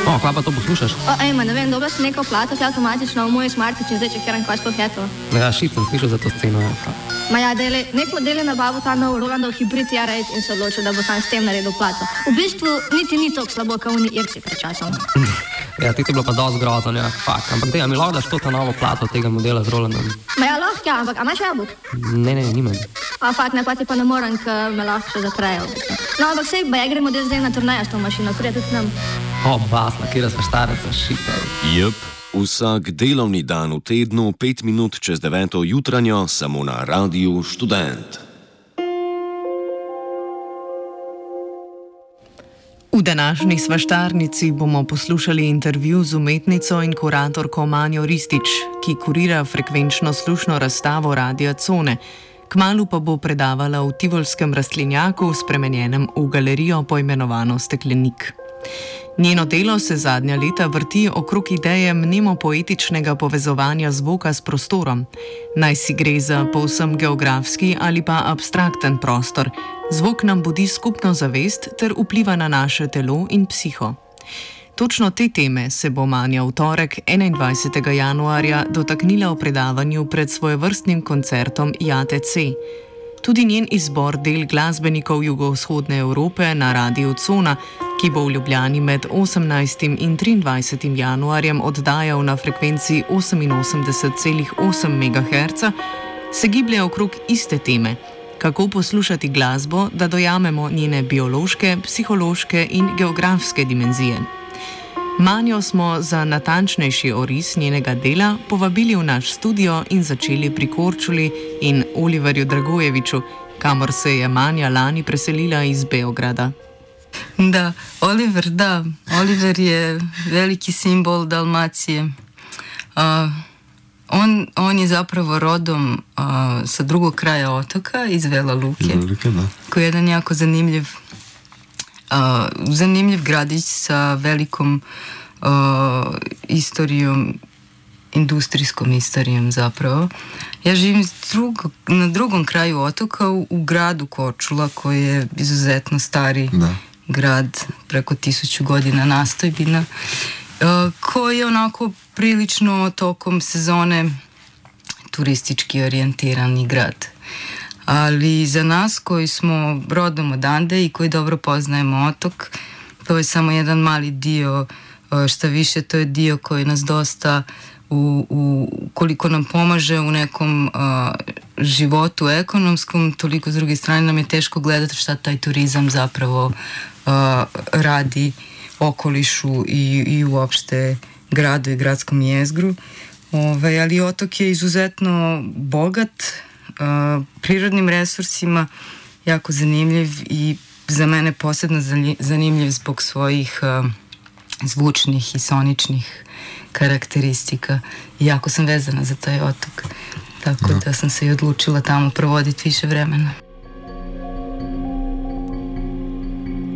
Kva pa to poslušaš? Ne vem, dobro si nekaj plato, avtomatično v moj smartič in zdaj čekiram, kaj sploh je to. Ja, šit sem slišal za to sceno. Ja, nek model je nabavil ta nov Rolandov hibrid R8 in se odločil, da bo sam s tem naredil plato. V bistvu niti ni toliko slabo, kot oni irci pred časom. Ja, ti si bilo pa dosti grozno, ja, fakt. Ampak mi lahko daš to ta novo plato tega modela z Rolandom? Ja, lahko, ja, ampak a imaš jabolk? Ne, nimam. Fakt, ne, pa ti pa ne morem, ker me lahko še zatrejo. No, ampak sej, ba ja gremo del zdaj na turnejo s to mašino, prije tudi nam. Basna, kjera sva štareca, šita. Jep, vsak delovni dan v tednu, 5 minut čez 9. jutranjo, samo na Radiu Študent. V današnji svaštarnici bomo poslušali intervju z umetnico in kuratorko Manjo Ristič, ki kurira frekvenčno-slušno razstavo Radia Cone. Kmalu pa bo predavala v Tivolskem rastlinjaku, spremenjenem v galerijo poimenovano Steklenik. Njeno delo se zadnja leta vrti okrog ideje mnemopoetičnega povezovanja zvoka s prostorom. Naj si gre za povsem geografski ali pa abstrakten prostor. Zvok nam budi skupno zavest ter vpliva na naše telo in psiho. Točno te teme se bo Manja v torek 21. januarja dotaknila v predavanju pred svojevrstnim koncertom JATC. Tudi njen izbor del glasbenikov jugovzhodne Evrope na Radiu Cona, ki bo v Ljubljani med 18. in 23. januarjem oddajal na frekvenci 88,8 MHz, se giblje okrog iste teme: kako poslušati glasbo, da dojamemo njene biološke, psihološke in geografske dimenzije. Manjo smo za natančnejši oris njenega dela povabili v naš studio in začeli pri Korčuli in Oliverju Dragojeviču, kamor se je Manja lani preselila iz Beograda. Da, Oliver je veliki simbol Dalmacije. On je zapravo rodom sa drugog kraja otoka, iz Vela Luke, koji je jedan jako zanimljiv gradić sa velikom istorijom, industrijskom istorijom zapravo. Ja živim na drugom kraju otoka u gradu Korčula, koji je izuzetno stari grad, preko 1000 godina nastojbina, koji je onako prilično tokom sezone turistički orijentirani grad. Ali za nas koji smo rodom odande i koji dobro poznajemo otok, to je samo jedan mali dio, šta više to je dio koji nas dosta koliko nam pomaže u nekom životu ekonomskom, toliko s druge strane nam je teško gledati šta taj turizam zapravo radi okolišu i uopšte gradu i gradskom jezgru. Ali otok je izuzetno bogat prirodnim resursima, jako zanimljiv i za mene posebno zanimljiv zbog svojih zvučnih i soničnih karakteristika. I jako sam vezana za taj otok, tako da sam se i odlučila tamo provoditi više vremena.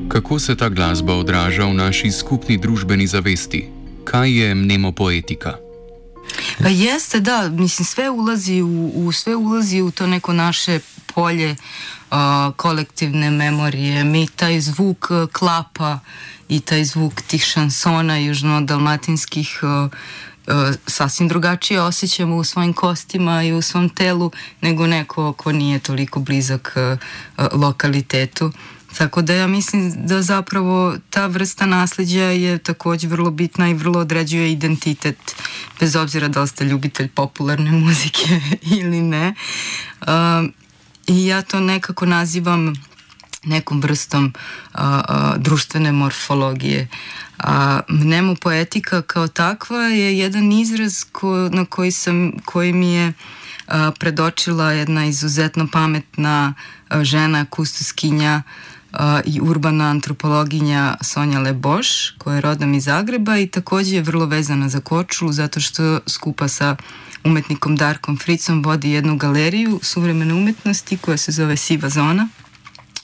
Kako se ta glasba odraža v naši skupni družbeni zavesti? Kaj je mnemopoetika? Pa jeste, da, mislim, sve ulazi u to neko naše polje kolektivne memorije. Mi taj zvuk klapa i taj zvuk tih šansona južno-dalmatinskih sasvim drugačije osjećamo u svojim kostima i u svom telu nego neko ko nije toliko blizak lokalitetu. Tako da ja mislim da zapravo ta vrsta nasljeđa je također vrlo bitna i vrlo određuje identitet, bez obzira da li ste ljubitelj popularne muzike ili ne. I ja to nekako nazivam nekom vrstom društvene morfologije. Mnemopoetika kao takva je jedan izraz koji mi je predočila jedna izuzetno pametna žena, kustoskinja i urbana antropologinja Sonja Leboš, koja je rodom iz Zagreba i također je vrlo vezana za Korčulu zato što skupa sa umetnikom Darkom Fricom vodi jednu galeriju suvremene umetnosti koja se zove Siva zona.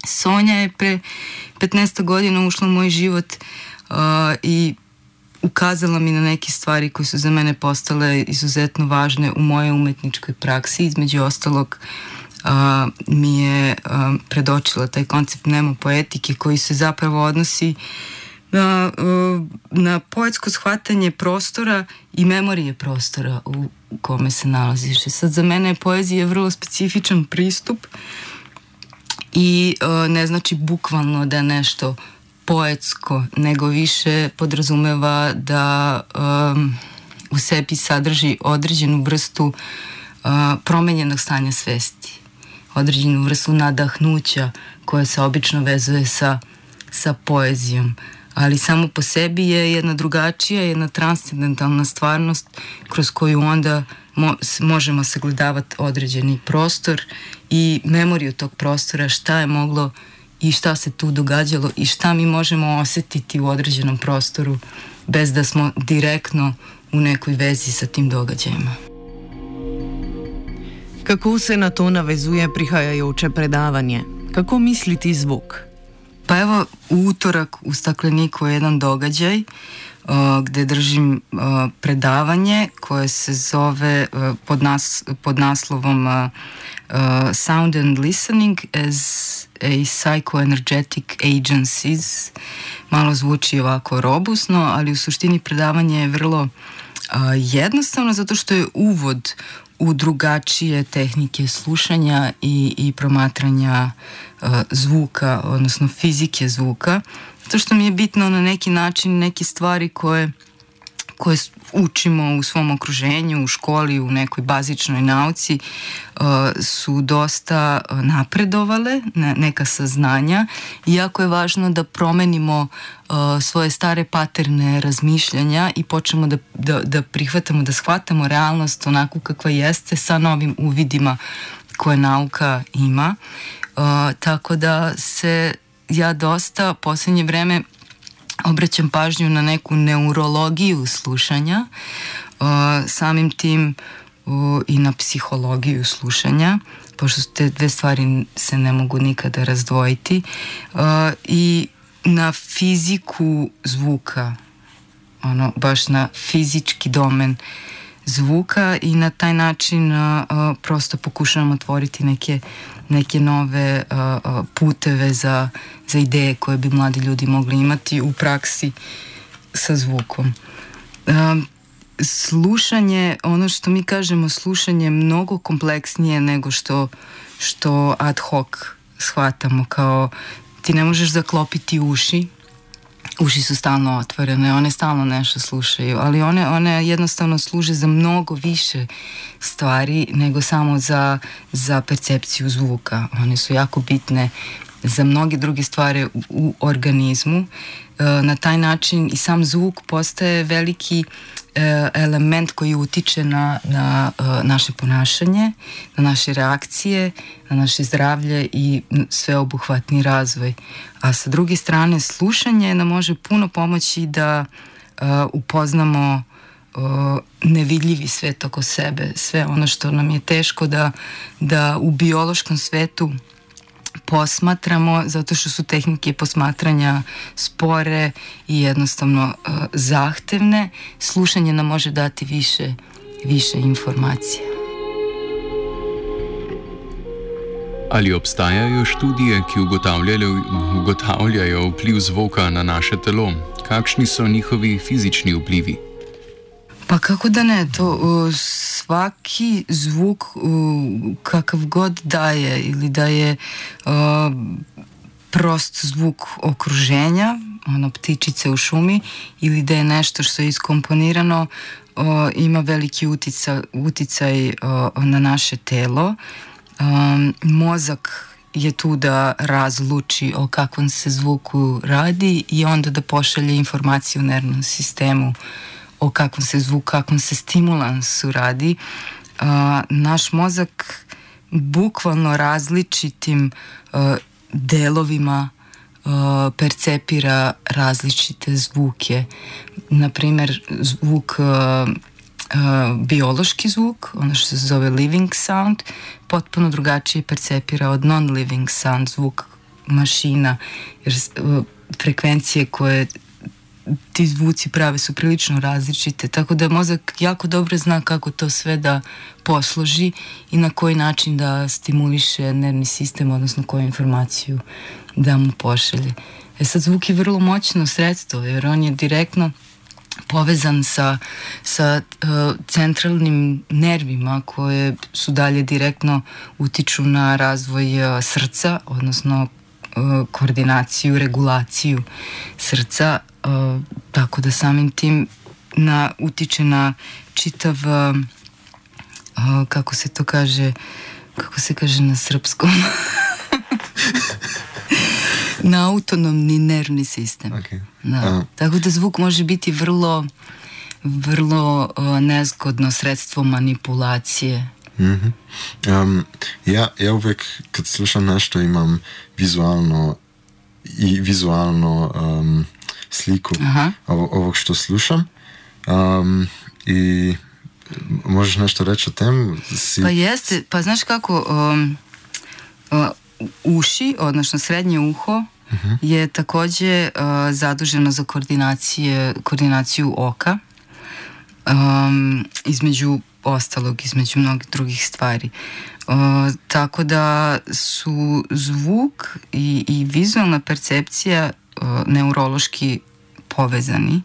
Sonja je pre 15 godina ušla u moj život i ukazala mi na neke stvari koje su za mene postale izuzetno važne u mojoj umetničkoj praksi. Između ostalog mi je predočila taj koncept mnemopoetike koji se zapravo odnosi na poetsko shvatanje prostora i memorije prostora u kome se nalaziš. Sad, za mene poezija je vrlo specifičan pristup i ne znači bukvalno da je nešto poetsko, nego više podrazumeva da u sebi sadrži određenu vrstu promenjenog stanja svesti, određenu vrstu nadahnuća koja se obično vezuje sa poezijom, ali samo po sebi je jedna drugačija, jedna transcendentalna stvarnost kroz koju onda možemo sagledavati određeni prostor i memoriju tog prostora, šta je moglo i šta se tu događalo i šta mi možemo osjetiti u određenom prostoru bez da smo direktno u nekoj vezi sa tim događajima. Kako se na to navezuje prihajajoče predavanje? Kako misliti zvuk? Pa evo, u utorak u Stakleniku je jedan događaj gde držim predavanje koje se zove pod naslovom Sound and Listening as a Psychoenergetic Agencies. Malo zvuči ovako robusno, ali u suštini predavanje je vrlo jednostavno zato što je uvod u drugačije tehnike slušanja i promatranja zvuka, odnosno fizike zvuka, zato što mi je bitno na neki način neke stvari koje učimo u svom okruženju, u školi, u nekoj bazičnoj nauci, su dosta napredovale, neka saznanja, i jako je važno da promenimo svoje stare paterne razmišljanja i počnemo da prihvatamo, da shvatamo realnost onako kakva jeste sa novim uvidima koje nauka ima. Tako da se ja dosta posljednje vreme obraćam pažnju na neku neurologiju slušanja, samim tim i na psihologiju slušanja, pošto te dve stvari se ne mogu nikada razdvojiti, i na fiziku zvuka, baš na fizički domen zvuka, i na taj način prosto pokušavam otvoriti neke nove puteve za ideje koje bi mladi ljudi mogli imati u praksi sa zvukom. Slušanje, ono što mi kažemo slušanje, je mnogo kompleksnije nego što ad hoc shvatamo, kao ti ne možeš zaklopiti uši. Uši su stalno otvorene, one stalno nešto slušaju, ali one jednostavno služe za mnogo više stvari nego samo za percepciju zvuka. One su jako bitne za mnoge druge stvari u organizmu. Na taj način i sam zvuk postaje veliki element koji utiče na naše ponašanje, na naše reakcije, na naše zdravlje i sveobuhvatni razvoj. A sa druge strane, slušanje nam može puno pomoći da upoznamo nevidljivi svet oko sebe, sve ono što nam je teško da u biološkom svetu posmatramo, zato što su tehnike posmatranja spore i jednostavno zahtevne. Slušanje nam može dati više informacija. Ali obstajajo študije, ki ugotavljajo vpliv zvoka na naše telo? Kakšni so njihovi fizični vplivi? Pa kako da ne, to svaki zvuk kakav god daje, ili da je prost zvuk okruženja, ptičice u šumi, ili da je nešto što je iskomponirano, ima veliki uticaj na naše telo. Mozak je tu da razluči o kakvom se zvuku radi i onda da pošalje informaciju u nervnom sistemu o kakvom se zvuku, kakvom se stimulansu radi. Naš mozak bukvalno različitim delovima percepira različite zvuke. Naprimer, zvuk, biološki zvuk, ono što se zove living sound, potpuno drugačije percepira od non-living sound, zvuk mašina, jer frekvencije koje ti zvuci prave su prilično različite, tako da mozak jako dobro zna kako to sve da posloži i na koji način da stimuliše nervni sistem, odnosno koju informaciju da mu pošalje. Sad zvuk je vrlo moćno sredstvo, jer on je direktno povezan sa centralnim nervima koje su dalje direktno utiču na razvoj srca, odnosno koordinaciju, regulaciju srca, tako da samim tim utiče na čitav, kako se kaže na srpskom, na autonomni nervni sistem. Okay. Da. Tako da zvuk može biti vrlo, vrlo nezgodno sredstvo manipulacije. Mm-hmm. Ja uvijek kad slušam nešto imam vizualno sliku ovog što slušam. I možeš nešto reći o tem? Pa jeste, pa znaš kako uši, odnosno srednje uho je takođe zaduženo za koordinaciju oka, između ostalog, između mnogih drugih stvari. Tako da su zvuk i vizualna percepcija neurološki povezani,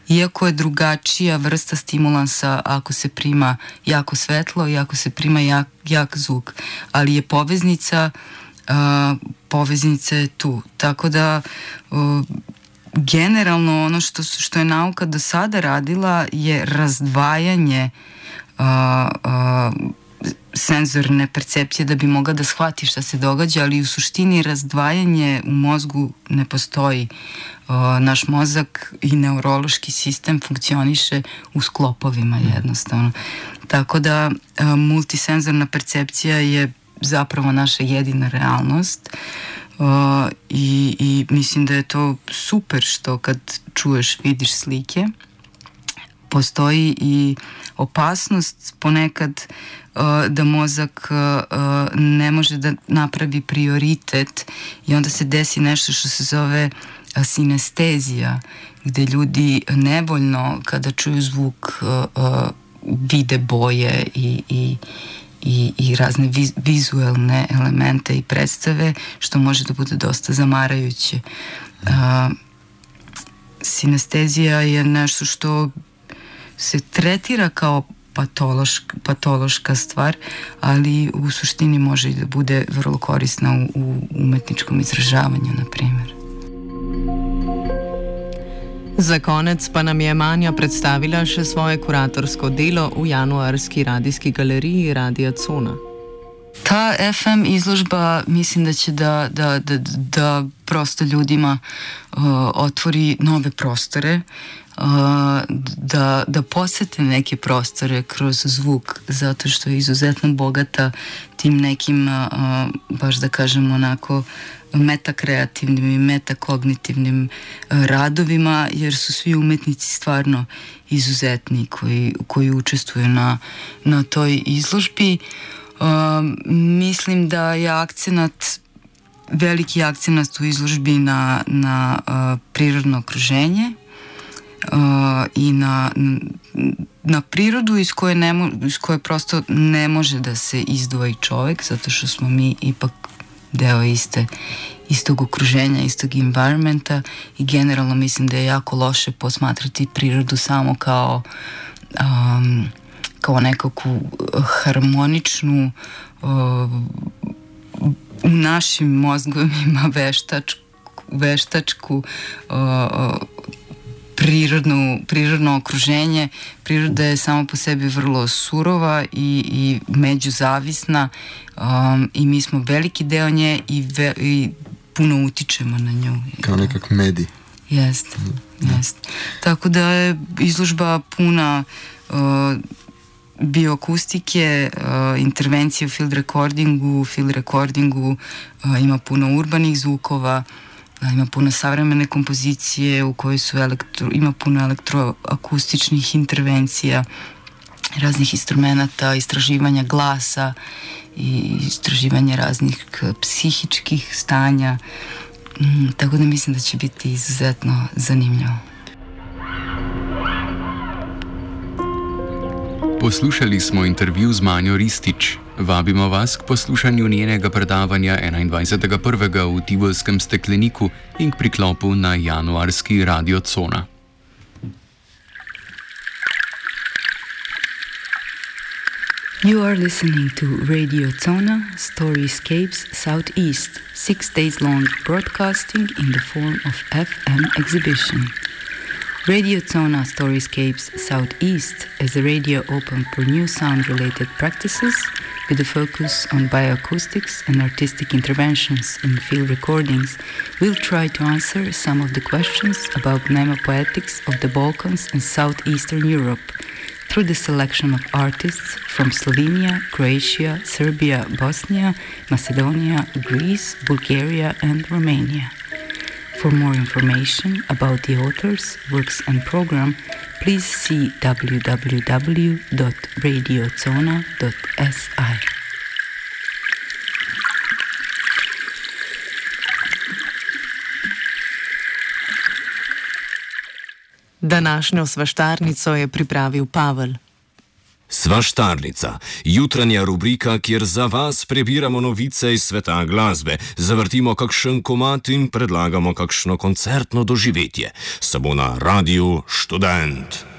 iako je drugačija vrsta stimulansa ako se prima jako svetlo i ako se prima jak zvuk, ali je poveznica je tu. Tako da generalno ono što je nauka do sada radila je razdvajanje senzorne percepcije da bi mogla da shvati šta se događa, ali u suštini razdvajanje u mozgu ne postoji. Naš mozak i neurološki sistem funkcioniše u sklopovima jednostavno. Tako da multisenzorna percepcija je zapravo naša jedina realnost i mislim da je to super što kad čuješ, vidiš slike. Postoji i opasnost ponekad da mozak ne može da napravi prioritet i onda se desi nešto što se zove sinestezija, gde ljudi nevoljno kada čuju zvuk vide boje i razne vizuelne elemente i predstave, što može da bude dosta zamarajuće. Sinestezija je nešto što se tretira kao patološka stvar, ali u suštini može i da bude vrlo korisna u umetničkom izražavanju, na primjer. Za konec pa nam je Manja predstavila še svoje kuratorsko delo v januarski radijski galeriji Radia Cona. Ta FM izložba mislim da će da prosto ljudima otvori nove prostore, da posete neke prostore kroz zvuk, zato što je izuzetno bogata tim nekim, baš da kažem onako, metakreativnim i metakognitivnim radovima, jer su svi umetnici stvarno izuzetni koji učestvuju na toj izložbi. Mislim da je veliki akcenat u izložbi na prirodno okruženje i na prirodu iz koje prosto ne može da se izdvoji čovek, zato što smo mi ipak deo istog okruženja, istog environmenta i generalno mislim da je jako loše posmatrati prirodu samo kao nekakvu harmoničnu u našim mozgovima veštačku prirodno okruženje. Priroda je sama po sebi vrlo surova i međuzavisna i mi smo veliki deo nje i puno utičemo na nju. Kao nekak medij. Jeste. Tako da je izložba puna bioakustike, intervencije u field recordingu, ima puno urbanih zvukova, ima puno savremene kompozicije u kojoj ima puno elektroakustičnih intervencija, raznih instrumenta, istraživanja glasa i istraživanja raznih psihičkih stanja. Tako da mislim da će biti izuzetno zanimljivo. Poslušali smo intervju z Manjo Ristič, Vabimo vas k poslušanju njenega predavanja 21.1. v Tivolskem stekleniku in k priklopu na januarski Radio Cona. You are listening to Radio Zona Storyscapes Southeast, 6 days long broadcasting in the form of FM exhibition. Radio Zona Storyscapes Southeast is a radio open for new sound-related practices with a focus on bioacoustics and artistic interventions in field recordings. We'll try to answer some of the questions about mnemopoetics of the Balkans and Southeastern Europe through the selection of artists from Slovenia, Croatia, Serbia, Bosnia, Macedonia, Greece, Bulgaria and Romania. For more information about the authors, works and program, please see www.radiozona.si. Današnjo svaštarnico je pripravil Pavel. Svaštarnica, jutranja rubrika, kjer za vas prebiramo novice iz sveta glasbe, zavrtimo kakšen komad in predlagamo kakšno koncertno doživetje. Samo na Radiu Študent.